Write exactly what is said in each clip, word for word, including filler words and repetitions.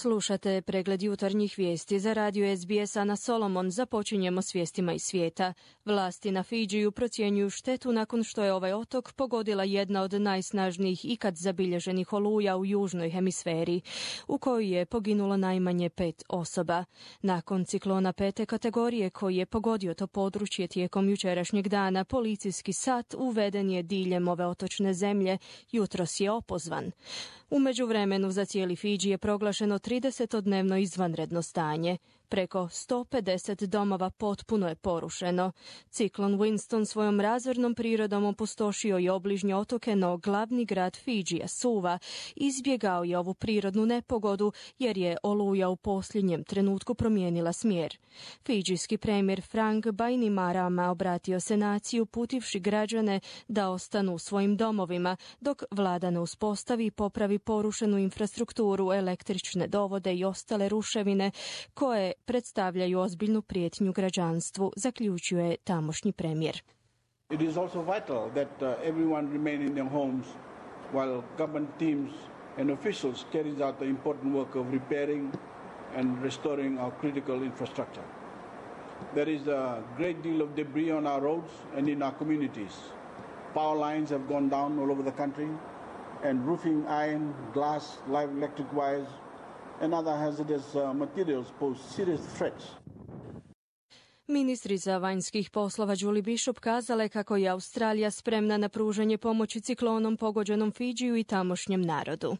Slušate pregled jutarnjih vijesti za radio S B S Ana Solomon. Započinjemo s vijestima iz svijeta. Vlasti na Fidžiju procjenjuju štetu nakon što je ovaj otok pogodila jedna od najsnažnijih ikad zabilježenih oluja u južnoj hemisferi, u kojoj je poginulo najmanje pet osoba. Nakon ciklona pete kategorije koji je pogodio to područje tijekom jučerašnjeg dana, policijski sat uveden je diljem ove otočne zemlje, jutros je opozvan. U međuvremenu za cijeli Fidži je proglašeno tridesetodnevno izvanredno stanje. Preko sto pedeset domova potpuno je porušeno. Ciklon Winston svojom razornom prirodom opustošio je obližnje otoke, no glavni grad Fidžija, Suva, izbjegao je ovu prirodnu nepogodu jer je oluja u posljednjem trenutku promijenila smjer. Fidžijski premijer Frank Bainimarama obratio se naciji uputivši građane da ostanu u svojim domovima, dok vlada ne uspostavi i popravi porušenu infrastrukturu, električne dovode i ostale ruševine koje predstavljaju ozbiljnu prijetnju građanstvu, zaključio je tamošnji premijer. It is also vital that uh, everyone remain in their homes while government teams and officials carries out the important work of repairing and restoring our critical infrastructure. There is a great deal of debris on our roads and in our communities. Power lines have gone down all over the country, and roofing iron, glass, live electric wires and other hazardous uh, materials pose serious threats. Ministrica vanjskih poslova Julie Bishop kazala je kako je Australija spremna na pružanje pomoći ciklonom pogođenom Fidžiju i tamošnjem narodu.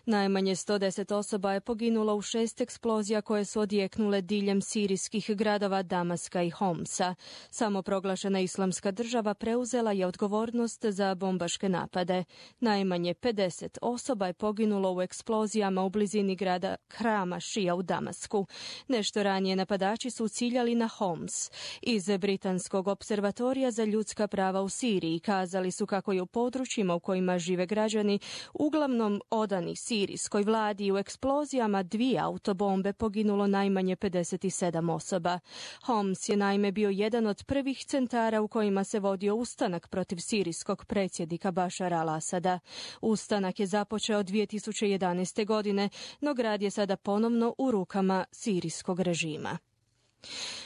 Najmanje sto deset osoba je poginulo u šest eksplozija koje su odjeknule diljem sirijskih gradova Damaska i Homsa. Samoproglašena Islamska država preuzela je odgovornost za bombaške napade. Najmanje pedeset osoba je poginulo u eksplozijama u blizini grada Hrama Šija u Damasku. Nešto ranije napadači su ciljali na Homs. Iz Britanskog observatorija za ljudska prava u Siriji kazali su kako je u područjima u kojima žive građani uglavnom odani sirijskoj vladi i u eksplozijama dvije autobombe poginulo najmanje pedeset sedam osoba. Homs je naime bio jedan od prvih centara u kojima se vodio ustanak protiv sirijskog predsjednika Bašara al-Asada. Ustanak je započeo dvije tisuće jedanaeste. godine, no grad je sada ponovno u rukama sirijskog režima.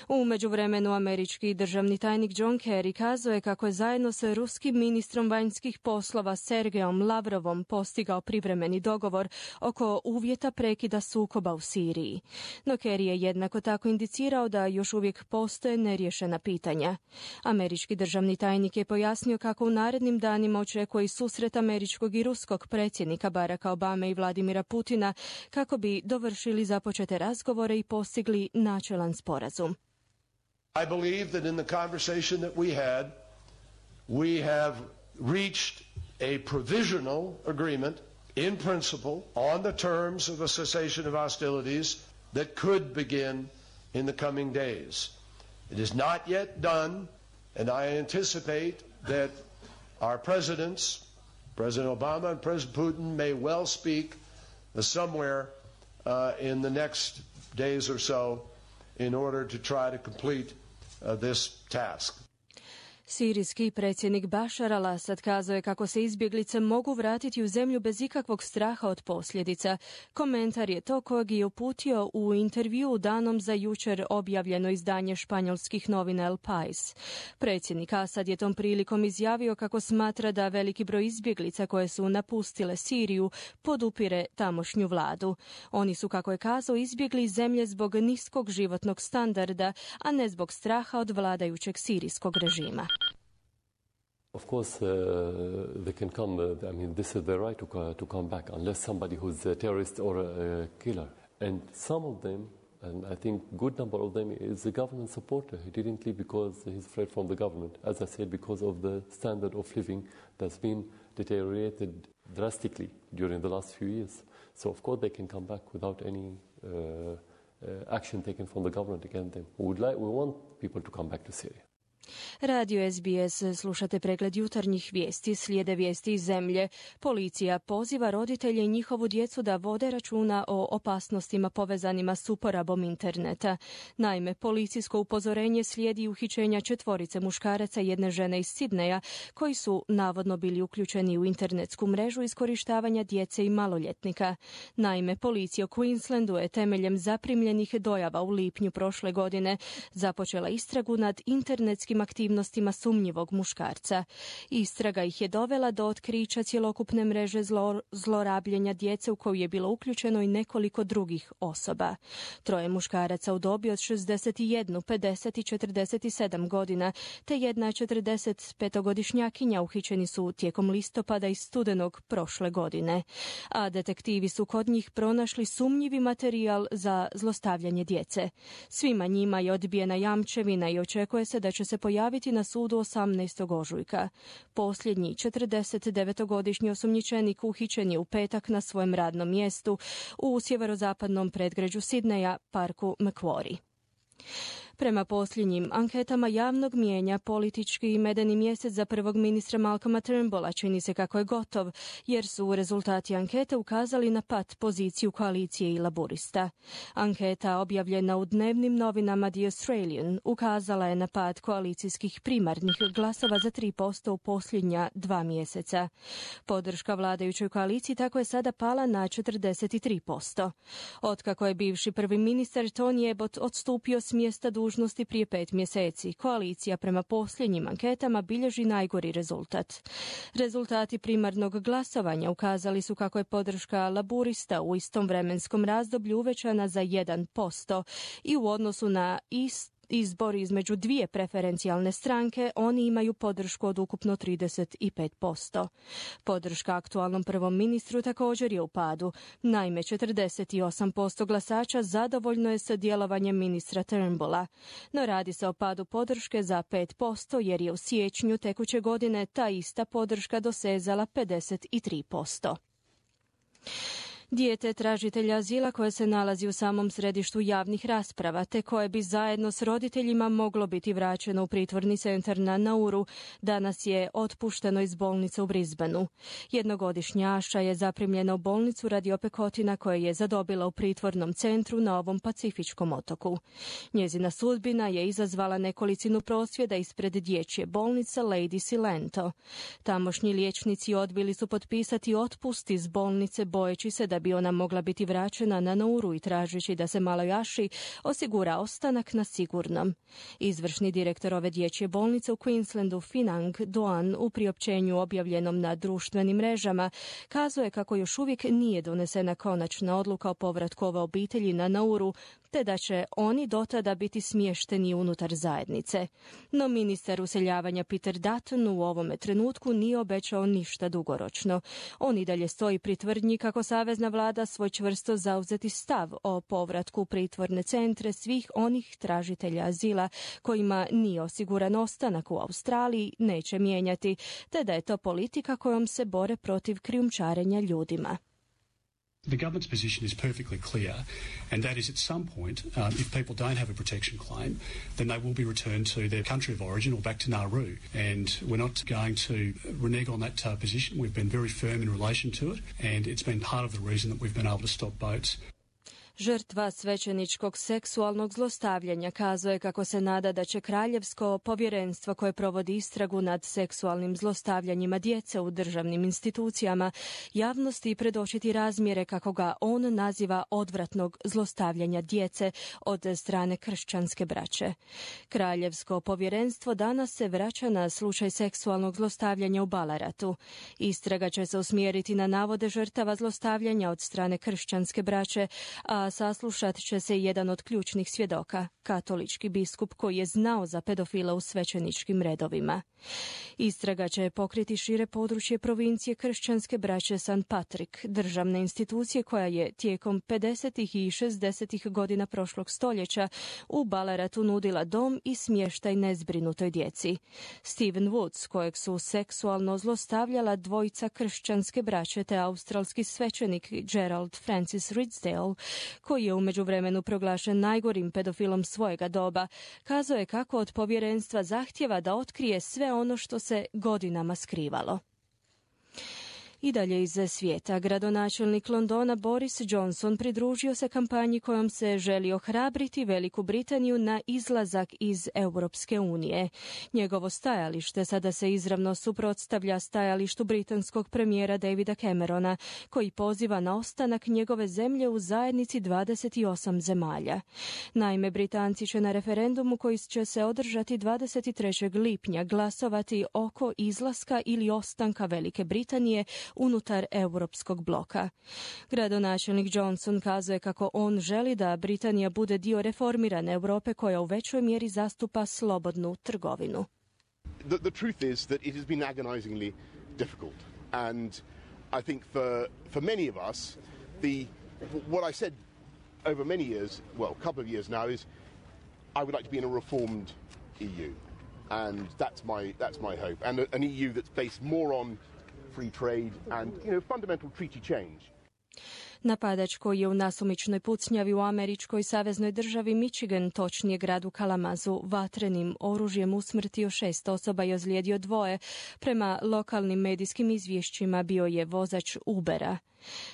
U međuvremenu američki državni tajnik John Kerry kazao je kako je zajedno sa ruskim ministrom vanjskih poslova Sergejom Lavrovom postigao privremeni dogovor oko uvjeta prekida sukoba u Siriji. No Kerry je jednako tako indicirao da još uvijek postoje neriješena pitanja. Američki državni tajnik je pojasnio kako u narednim danima očekuje susret američkog i ruskog predsjednika Baracka Obame i Vladimira Putina kako bi dovršili započete razgovore i postigli načelan sporazum. I believe that in the conversation that we had, we have reached a provisional agreement in principle on the terms of a cessation of hostilities that could begin in the coming days. It is not yet done, and I anticipate that our presidents, President Obama and President Putin, may well speak somewhere uh, in the next days or so in order to try to complete uh, this task. Sirijski predsjednik Bašar al-Asad kazao je kako se izbjeglice mogu vratiti u zemlju bez ikakvog straha od posljedica. Komentar je to kojeg je uputio u intervju danom za jučer objavljeno izdanje španjolskih novina El País. Predsjednik Asad je tom prilikom izjavio kako smatra da veliki broj izbjeglica koje su napustile Siriju podupire tamošnju vladu. Oni su, kako je kazao, izbjegli iz zemlje zbog niskog životnog standarda, a ne zbog straha od vladajućeg sirijskog režima. Of course, uh, they can come. Uh, I mean, this is their right to uh, to come back, unless somebody who's a terrorist or a killer. And some of them, and I think good number of them, is a government supporter. He didn't leave because he's afraid from the government. As I said, because of the standard of living that's been deteriorated drastically during the last few years. So, of course, they can come back without any uh, uh, action taken from the government against them. We would like, we want people to come back to Syria. Radio S B S, slušate pregled jutarnjih vijesti, slijede vijesti iz zemlje. Policija poziva roditelje i njihovu djecu da vode računa o opasnostima povezanima s uporabom interneta. Naime, policijsko upozorenje slijedi uhićenja četvorice muškaraca i jedne žene iz Sidneja, koji su navodno bili uključeni u internetsku mrežu iskorištavanja djece i maloljetnika. Naime, policija u Queenslandu je temeljem zaprimljenih dojava u lipnju prošle godine započela istragu nad internetskim aktivnostima sumnjivog muškarca. Istraga ih je dovela do otkrića cjelokupne mreže zlo, zlorabljenja djece u koju je bilo uključeno i nekoliko drugih osoba. Troje muškaraca u dobi od šezdeset jedan, pedeset i četrdeset sedam godina, te jedna četrdesetpetogodišnjakinja uhićeni su tijekom listopada i studenog prošle godine. A detektivi su kod njih pronašli sumnjivi materijal za zlostavljanje djece. Svima njima je odbijena jamčevina i očekuje se da će se pojaviti na sudu osamnaestog ožujka. Posljednji četrdesetdevetogodišnji osumnjičenik uhićen je u petak na svojem radnom mjestu u sjeverozapadnom predgrađu Sidneja, parku Macquarie. Prema posljednjim anketama javnog mijenja, politički i medeni mjesec za prvog ministra Malcolma Turnbulla čini se kako je gotov, jer su rezultati ankete ukazali na pat poziciju koalicije i laburista. Anketa objavljena u dnevnim novinama The Australian ukazala je na pad koalicijskih primarnih glasova za tri posto u posljednja dva mjeseca. Podrška vladajućoj koaliciji tako je sada pala na četrdeset tri posto. Otkako je bivši prvi ministar Tony Abbott odstupio s mjesta dužnosti prije pet mjeseci, koalicija prema posljednjim anketama bilježi najgori rezultat. Rezultati primarnog glasovanja ukazali su kako je podrška laburista u istom vremenskom razdoblju uvećana za jedan posto i u odnosu na ist izbor između dvije preferencijalne stranke, oni imaju podršku od ukupno trideset pet posto. Podrška aktualnom prvom ministru također je u padu. Naime, četrdeset osam posto glasača zadovoljno je sa djelovanjem ministra Turnbulla. No radi se o padu podrške za pet posto jer je u siječnju tekuće godine ta ista podrška dosezala pedeset tri posto. Dijete tražitelja azila koje se nalazi u samom središtu javnih rasprava, te koje bi zajedno s roditeljima moglo biti vraćeno u pritvorni centar na Nauru, danas je otpušteno iz bolnice u Brisbaneu. Jednogodišnja Aša je zaprimljena u bolnicu radi opekotina koje je zadobila u pritvornom centru na ovom pacifičkom otoku. Njezina sudbina je izazvala nekolicinu prosvjeda ispred dječje bolnice Lady Silento. Tamošnji liječnici odbili su potpisati otpust iz bolnice bojeći se da bi ona mogla biti vraćena na Nauru i tražeći da se maloj Aši osigura ostanak na sigurnom. Izvršni direktor ove dječje bolnice u Queenslandu, Finang Doan, u priopćenju objavljenom na društvenim mrežama, kazuje kako još uvijek nije donesena konačna odluka o povratku ove obitelji na Nauru, te da će oni dotada biti smješteni unutar zajednice. No ministar useljavanja Peter Dutton u ovome trenutku nije obećao ništa dugoročno. On i dalje stoji pri tvrdnji kako savezna vlada svoj čvrsto zauzeti stav o povratku u pritvorne centre svih onih tražitelja azila kojima nije osiguran ostanak u Australiji neće mijenjati, te da je to politika kojom se bore protiv krijumčarenja ljudima. The government's position is perfectly clear, and that is at some point, um, if people don't have a protection claim, then they will be returned to their country of origin or back to Nauru. And we're not going to renege on that uh, position. We've been very firm in relation to it, and it's been part of the reason that we've been able to stop boats. Žrtva svećeničkog seksualnog zlostavljanja kazuje kako se nada da će kraljevsko povjerenstvo koje provodi istragu nad seksualnim zlostavljanjima djece u državnim institucijama javnosti predočiti razmjere, kako ga on naziva, odvratnog zlostavljanja djece od strane kršćanske braće. Kraljevsko povjerenstvo danas se vraća na slučaj seksualnog zlostavljanja u Ballaratu. Istraga će se usmjeriti na navode žrtava zlostavljanja od strane kršćanske braće, a saslušat će se jedan od ključnih svjedoka, katolički biskup koji je znao za pedofila u svećeničkim redovima. Istraga će pokriti šire područje provincije kršćanske braće Saint Patrick, državne institucije koja je tijekom pedesetih i šezdesetih godina prošlog stoljeća u Ballaratu nudila dom i smještaj nezbrinutoj djeci. Steven Woods, kojeg su seksualno zlostavljala dvojica kršćanske braće te australski svećenik Gerald Francis Ridsdale, koji je u međuvremenu proglašen najgorim pedofilom svojega doba, kazao je kako od povjerenstva zahtjeva da otkrije sve ono što se godinama skrivalo. I dalje iz svijeta, gradonačelnik Londona Boris Johnson pridružio se kampanji kojom se želi ohrabriti Veliku Britaniju na izlazak iz Europske unije. Njegovo stajalište sada se izravno suprotstavlja stajalištu britanskog premijera Davida Camerona, koji poziva na ostanak njegove zemlje u zajednici dvadeset osam zemalja. Naime, Britanci će na referendumu koji će se održati dvadeset trećeg lipnja glasovati oko izlaska ili ostanka Velike Britanije unutar europskog bloka. Gradonačelnik Johnson kazuje kako on želi da Britanija bude dio reformirane Europe koja u većoj mjeri zastupa slobodnu trgovinu. The, the truth is that it has been agonizingly difficult, and I think for for many of us, the what I said over many years, well, a couple of years now, is I would like to be in a reformed E U, and that's my that's my hope, and an E U that's based more on free trade and, you know, fundamental treaty change. Napadač koji je u nasumičnoj pucnjavi u američkoj saveznoj državi Michigan, točnije gradu Kalamazu, vatrenim oružjem usmrtio šest osoba i ozlijedio dvoje. Prema lokalnim medijskim izvješćima bio je vozač Ubera.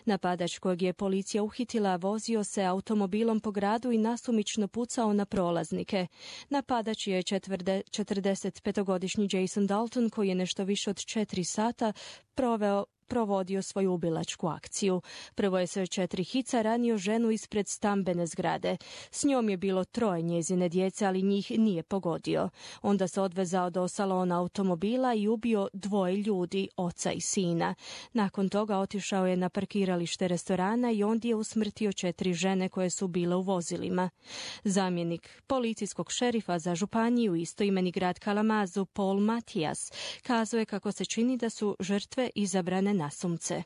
Napadač kojeg je policija uhitila vozio se automobilom po gradu i nasumično pucao na prolaznike. Napadač je četrdesetpetogodišnji Jason Dalton, koji je nešto više od četiri sata proveo provodio svoju ubilačku akciju. Prvo je sa četiri hica ranio ženu ispred stambene zgrade. S njom je bilo troje njezine djece, ali njih nije pogodio. Onda se odvezao do salona automobila i ubio dvoje ljudi, oca i sina. Nakon toga otišao je na parkiralište restorana i ondje je usmrtio četiri žene koje su bile u vozilima. Zamjenik policijskog šerifa za županiju istoimeni grad Kalamazu, Paul Matijas, kazao je kako se čini da su žrtve izabrane nasumce.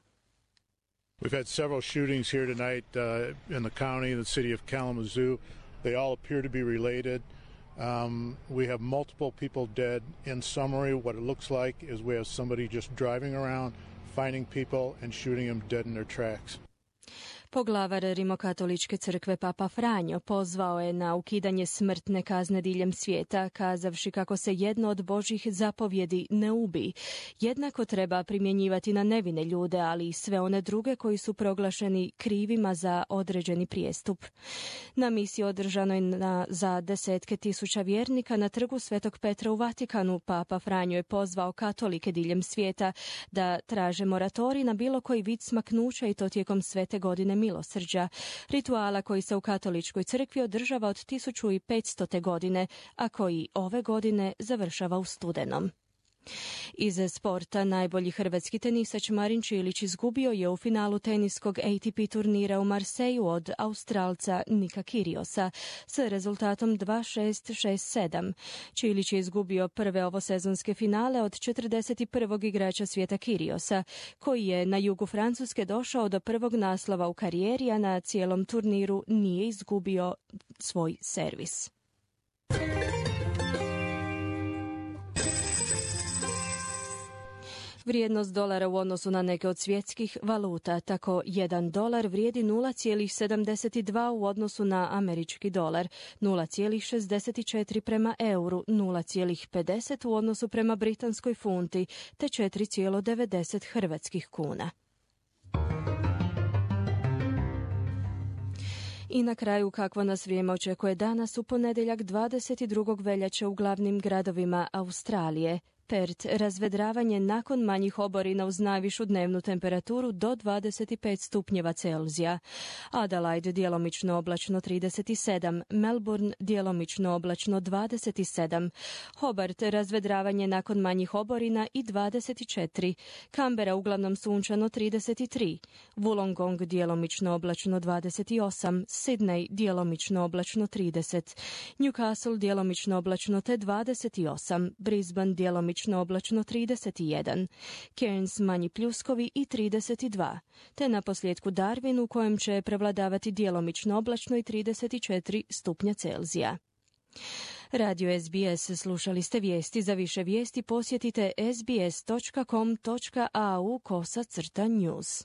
We've had several shootings here tonight uh, in the county, in the city of Kalamazoo. They all appear to be related. Um, we have multiple people dead. In summary, what it looks like is we have somebody just driving around, finding people and shooting them dead in their tracks. Poglavar Rimokatoličke crkve Papa Franjo pozvao je na ukidanje smrtne kazne diljem svijeta, kazavši kako se jedno od Božjih zapovjedi ne ubi. Jednako treba primjenjivati na nevine ljude, ali i sve one druge koji su proglašeni krivima za određeni prijestup. Na misiji održanoj na, za desetke tisuća vjernika na trgu Svetog Petra u Vatikanu, Papa Franjo je pozvao katolike diljem svijeta da traže moratorij na bilo koji vid smaknuća i to tijekom svete godine milosrđa, rituala koji se u katoličkoj crkvi održava od tisuću petsto. godine, a koji ove godine završava u studenom. Iz sporta najbolji hrvatski tenisač Marin Čilić izgubio je u finalu teniskog A T P turnira u Marseju od Australca Nika Kyrgiosa s rezultatom dva šest šest sedam. Čilić je izgubio prve ovosezonske finale od četrdeset prvog igrača svijeta Kyrgiosa, koji je na jugu Francuske došao do prvog naslova u karijeri, a na cijelom turniru nije izgubio svoj servis. Vrijednost dolara u odnosu na neke od svjetskih valuta, tako jedan dolar vrijedi nula zarez sedamdeset dva u odnosu na američki dolar, nula zarez šezdeset četiri prema euru, nula zarez pedeset u odnosu prema britanskoj funti, te četiri zarez devedeset hrvatskih kuna. I na kraju kakvo nas vrijeme očekuje danas u ponedjeljak dvadeset drugog veljače u glavnim gradovima Australije. Perth, razvedravanje nakon manjih oborina uz najvišu dnevnu temperaturu do dvadeset pet stupnjeva Celzija. Adelaide, djelomično oblačno trideset sedam, Melbourne, djelomično oblačno dvadeset sedam, Hobart, razvedravanje nakon manjih oborina i dvadeset četiri, Canberra, uglavnom sunčano trideset tri, Wollongong, djelomično oblačno dvadeset osam, Sydney, djelomično oblačno trideset, Newcastle, djelomično oblačno te dvadeset osam, Brisbane, djelomično djelomično oblačno trideset jedan, Cairns manji pljuskovi i trideset dva, te na posljedku Darwin u kojem će prevladavati djelomično oblačno i trideset četiri stupnja Celzija. Radio S B S, slušali ste vijesti. Za više vijesti posjetite sbs.com.au kosa crta news.